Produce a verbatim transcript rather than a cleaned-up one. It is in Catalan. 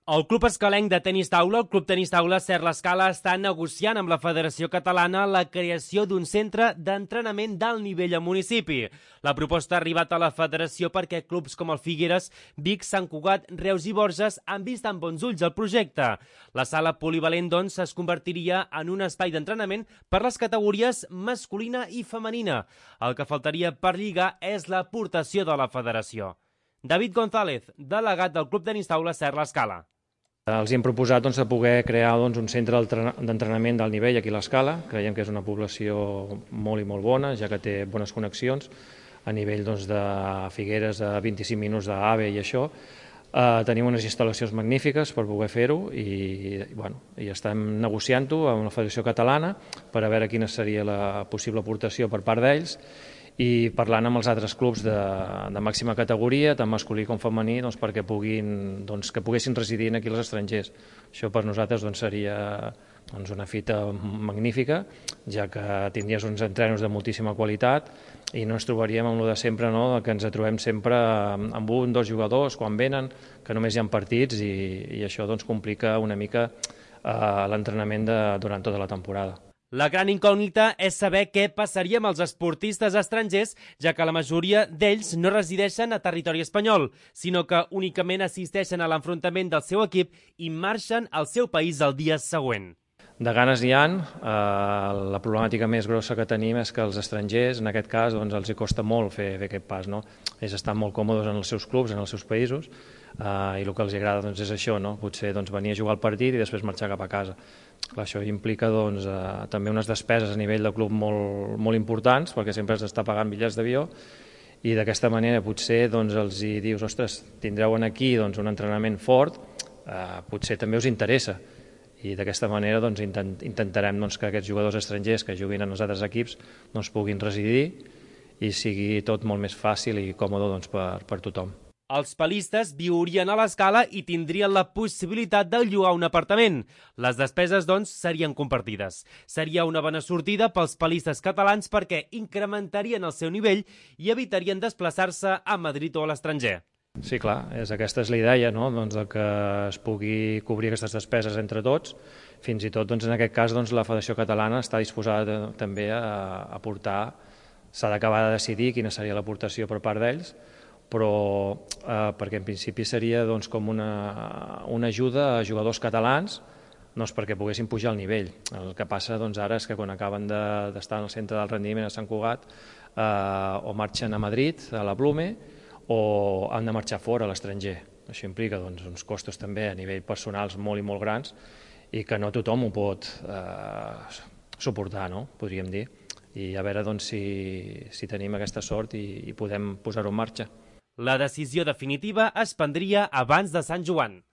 El Club Escalenc de Tenis Taula, el Club Tenis Taula Ser l'Escala, està negociant amb la Federació Catalana la creació d'un centre d'entrenament d'alt nivell al municipi. La proposta ha arribat a la Federació perquè clubs com el Figueres, Vic, Sant Cugat, Reus i Borges han vist amb bons ulls el projecte. La sala polivalent, doncs, es convertiria en un espai d'entrenament per les categories masculina i femenina. El que faltaria per lligar és l'aportació de la Federació. David González, delegat del Club Tenis Taula Ser l'Escala. Els hem proposat doncs, de poder crear doncs, un centre d'entrenament d'alt nivell aquí a l'Escala. Creiem que és una població molt i molt bona, ja que té bones connexions a nivell doncs, de Figueres a vint-i-cinc minuts d'AVE i això. Eh, tenim unes instal·lacions magnífiques per poder fer-ho i, bueno, i estem negociant-ho amb la Federació Catalana per a veure quina seria la possible aportació per part d'ells i parlant amb els altres clubs de, de màxima categoria, tant masculí com femení, doncs, perquè puguin, doncs, que poguessin residir aquí els estrangers. Això per nosaltres doncs, seria doncs, una fita magnífica, ja que tindries uns entrenos de moltíssima qualitat i no ens trobaríem amb el de sempre, no? Que ens trobem sempre amb un, dos jugadors quan venen, que només hi ha partits i, i això doncs, complica una mica eh, l'entrenament durant tota la temporada. La gran incògnita és saber què passaria amb els esportistes estrangers, ja que la majoria d'ells no resideixen a territori espanyol, sinó que únicament assisteixen a l'enfrontament del seu equip i marxen al seu país el dia següent. De ganes n'hi ha. Eh, la problemàtica més grossa que tenim és que els estrangers, en aquest cas, doncs, els hi costa molt fer, fer aquest pas. No? Ells estan molt còmodes en els seus clubs, en els seus països, eh, i el que els agrada doncs, és això, no? Potser doncs, venir a jugar el partit i després marxar cap a casa. Clar, això implica doncs, eh, també unes despeses a nivell de club molt, molt importants, perquè sempre s'està pagant bitllets d'avió, i d'aquesta manera potser doncs, els hi dius, ostres, tindreu aquí doncs, un entrenament fort, eh, potser també us interessa. I d'aquesta manera doncs, intent, intentarem doncs, que aquests jugadors estrangers que juguin en els altres equips doncs, puguin residir i sigui tot molt més fàcil i còmode doncs, per, per tothom. Els palistes viurien a l'Escala i tindrien la possibilitat de llogar un apartament. Les despeses, doncs, serien compartides. Seria una bona sortida pels palistes catalans perquè incrementarien el seu nivell i evitarien desplaçar-se a Madrid o a l'estranger. Sí, clar, és, aquesta és la idea, no? doncs, que es pugui cobrir aquestes despeses entre tots. Fins i tot, doncs, en aquest cas, doncs, la Federació Catalana està disposada també a aportar, s'ha d'acabar de decidir quina seria l'aportació per part d'ells, però eh, perquè en principi seria doncs, com una, una ajuda a jugadors catalans doncs, perquè poguessin pujar el nivell. El que passa doncs, ara és que quan acaben d'estar de, en el centre del rendiment a Sant Cugat eh, o marxen a Madrid, a la Blume, o han de marxar fora a l'estranger. Això implica doncs, uns costos també a nivell personals molt i molt grans i que no tothom ho pot eh, suportar, no? Podríem dir. I a veure doncs, si, si tenim aquesta sort i, i podem posar-ho en marxa. La decisió definitiva es prendria abans de Sant Joan.